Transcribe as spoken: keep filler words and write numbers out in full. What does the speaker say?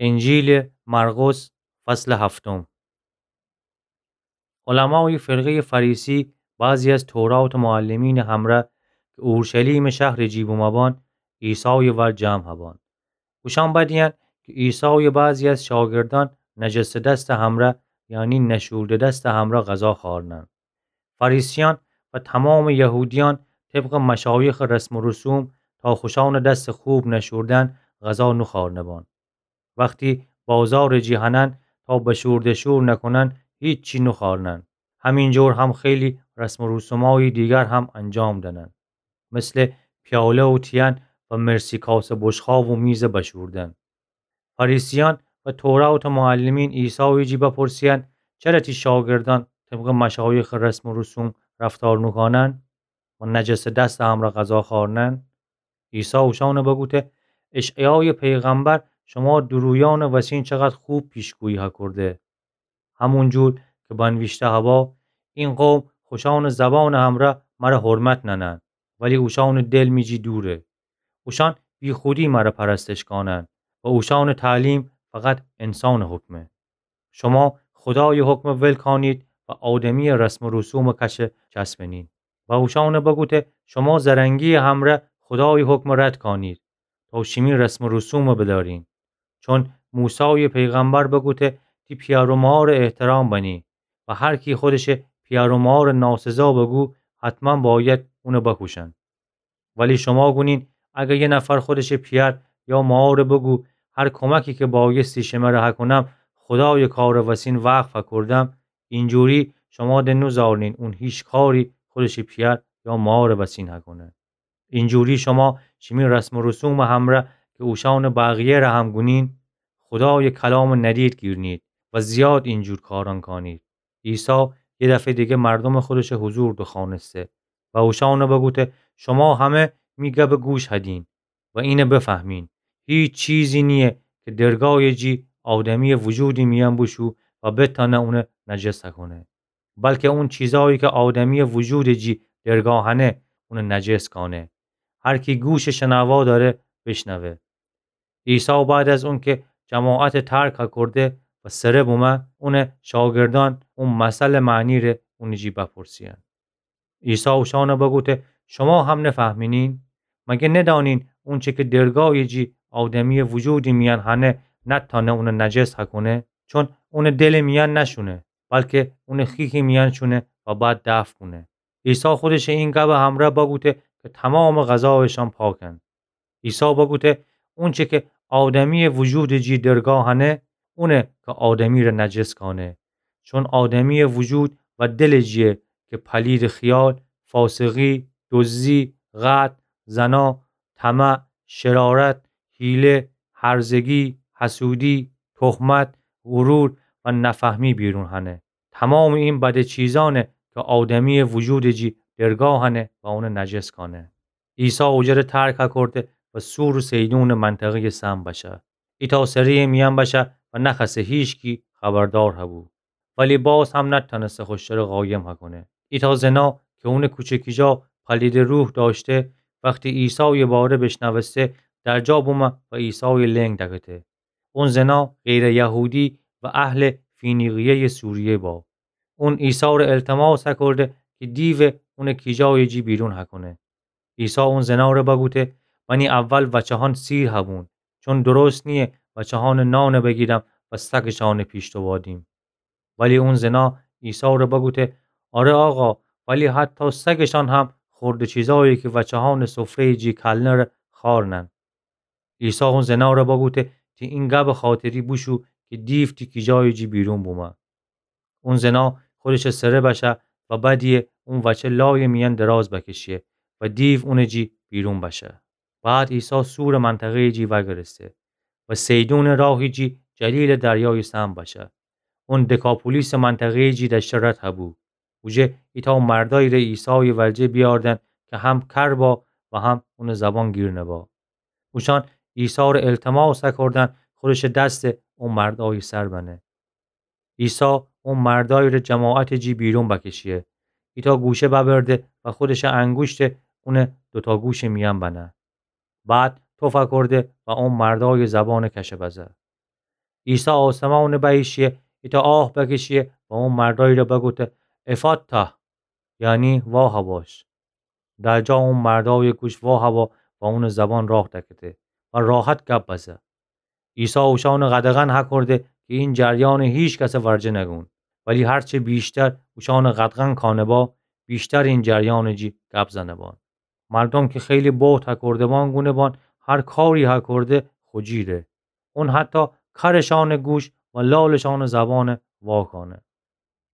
انجیلٚ مرقس، فصلٚ هفتم. علمایٚ فرقه‌یٚ فریسی بعضی از تورات معلمینٚ همرأ کی اورشلیمٚ شهرٚ جی بومه بان، عیسایٚ ور جمع هبان. اوشأن بدیدن کی عیسایٚ بعضی از شاگردأن نجسٚ دستٚ همرأ، یعنی نشورده دستٚ همرأ غذا خوأرنن. فریسیأن و تومامٚ یهودیأن طبقٚ مشایخٚ رسم و رسوم تا خوشأنٚ دستٚ خوب نشوردن غذا نوخوأرنه بان. وختی بازارٚ جی هنن تا بشورده‌شور نکنن، هیچی نوخوأرنن. همینجور هم خیلی رسم و رسومایٚ دیگر هم انجام دأنن، مثلٚ پیاله و تیین و مرسی کاسٚ بشقاب و میزٚ بشوردن. فریسیأن و تورات معلمین عیسایٚ جی بپرسیدن: چره تی شاگردأن طبقٚ مشایخٚ رسم و رسوم رفتار نوکونن و نجسٚ دستٚ همرأ غذا خوأرنن؟ عیسی اوشأنٚ بگوته: اشعیایٚ پیغمبر شوما دورویأنٚ وسین چقدر خوب پیشگویی هکورده. همونجور کی بنویشته هوا: این قوم خوشأنٚ زبانٚ همرأ مر حرمت نأنن، ولی اوشأنٚ دل می جی دوره. اوشأن بیخودی مر پرستش کانن و اوشأنٚ تعلیم فقط انسانٚ حکمه. شوما خودایٚ حکم ول کانید و آدمیٚ رسم و رسومٚ کشه چسبنید. و اوشأنٚ بگوته: شوما زرنگیٚ همرأ خودایٚ حکم رد کانید تا شیمی رسم و رسوم بدأرین. چون موسایٚ پیغمبر بگوته: تی پیأر و مارٚ احترام بنی و هر کی خودشٚ پیأر و مارٚ ناسزا بگو، حتما باید اون بکوشن. ولی شوما گونین: اگر یه نفر خودشٚ پیأر یا مار بگو، هر کمکی کی بایستی شمر هکونم، خودایٚ کارٚ وسین وقف هکردم، اینجوری شوما د نوزارنین اون هیچ کاری خودشٚ پیأر یا مارٚ وسین هکونه. اینجوری شوما شیمی رسم و رسومٚ همرأ کی اوشأنٚ بقیه‌ره هم گونین، خودایٚ کلامٚ ندید گیرنید و زیاد اینجور کارأن کانید. عیسی یه دفعه دیگه مردومٚ خودشٚ حضور دوخوأنسته و اوشأنٚ بگوته: شوما همه می گبٚ گوش هدین و اینٚ بفهمین: هیچ چیزی نییه کی درگایٚ جی آدمیٚ وجودٚ میأن بوشو و بتأنه اونٚ نجس هکونه، بلکه اون چیزایی کی آدمیٚ وجودٚ جی درگاه هنه، اونٚ نجس کانه. هر کی گوشٚ شنوا دأره، بشنوه. عیسی بعد از اونکی جماعتٚ ترک هکرده و سره بومه، اونٚ شاگردأن اون مثلٚ معنی‌ره اونٚ جی بپرسیدن. عیسی اوشأنٚ بگوته: شوما هم نفهمینین؟ مگه ندأنین اونچه کی درگایٚ جی آدمیٚ وجودٚ میأن هنه، نتأنه اونٚ نجس هکونه؟ چون اونٚ دلٚ میأن نشونه، بلکه اونٚ خیکٚ میأن شونه و بعد دفن کونه. عیسی خودشٚ این گبٚ همرأ بگوته کی تومامٚ غذایشأن پاکن. عیسی بگوته: اونچه کی آدمیٚ وجودٚ جی درگاه هنه، اونه کی آدمی‌ره نجس کانه. چون آدمیٚ وجود و دلٚ جیه کی پلیدٚ خیال، فاسقی، دزدی، قتل، زنا، طمع، شرارت، حیله، هرزگی، حسودی، تهمت، غرور و نفهمی بیرون هنه. تومامٚ این بدٚ چیزأنه کی آدمیٚ وجودٚ جی درگاه هنه و اونه نجس کانه. عیسی اوجره ترک هکرده و صور و صیدونٚ منطقه‌یٚ سم بشه. ایتأ سره‌یٚ میأن بشه و نخوأسه هیچکی خبردار هبو. ولی باز هم نتأنسته خوشتره قایم هکونه. ایتأ زنا کی اونٚ کوچه کیجا پلیدٚ روح دأشته، وختی عیسایٚ باره بشنوسته، درجا بومه و عیسایٚ لنگ دکته. اون زنا غیرٚ یهودی و اهلٚ فینیقیه‌یٚ سوریه با. اون عیسی‌ره التماس هکرده کی دیوٚ اونٚ کیجایٚ جی بیرون هکونه. عیسی اون زناره بگوته: منی اول وچه‌هان سیر هبون، چون درست نییه وچه‌هانٚ نانٚ بگیرم و سگشانٚ پیش دوادیم. ولی اون زنا عیسی‌ره بگوته: آره آقا، ولی حتی سگشان هم خوردٚ چیزایی کی وچه‌هانٚ سفره‌یٚ جی کلنه ره خوأرنن. عیسی اون زناره بگوته: تی این گبٚ خاطری بوشو کی دیو تی کیجایٚ جی بیرون بومه. اون زنا خودشٚ سره بشه و بدیه اون وچه لایٚ میأن دراز بکشیه و دیو اونٚ جی بیرون بشه. بعد عیسی صورٚ منطقه‌یٚ جی وأگرسته و صیدونٚ راهٚ جی جلیلٚ دریایٚ سم بشه. اون دکاپولیسٚ منطقه‌یٚ جی دأشته رد هبو. اوجه ایتأ مردأیی ره عیسایٚ ورجه بیأردن کی هم کر با و هم اونٚ زبان گیر نبا. اوشأن عیسی‌ره التماس هکردن خودشٚ دس او مردأیٚ سر بنه. عیسی او مردأیی ره جماعتٚ جی بیرون بکشیه. ایتأ گوشه ببرده و خودشٚ انگوشته اونٚ دوتأ گوشٚ میأن بنه. بعد تف هکرده و او مردأیٚ زبانٚ کشه بزه. عیسی آسمانٚ بأییشی، ایتأ آه بکشی و او مردأیی ره بگوته: افاتا، یعنی واها باش. در جا او مردأی گوش واها با و اونٚ زبان راه دکته و راحت گب بزه. عیسی اوشأنٚ قدغن هکرده کی این جریانٚ هیکسٚ ورجه نگون، ولی هرچه ویشتر اوشأنٚ قدغن کانه با، ویشتر این جریانٚ جی گب زنه بان. مردوم کی خیلی بهت هکرده بان گونه بان هر کاری هکرده خو جیره. اون حتی کرٚ شأنٚ گوش و لالٚ شأنٚ زبان واکانه.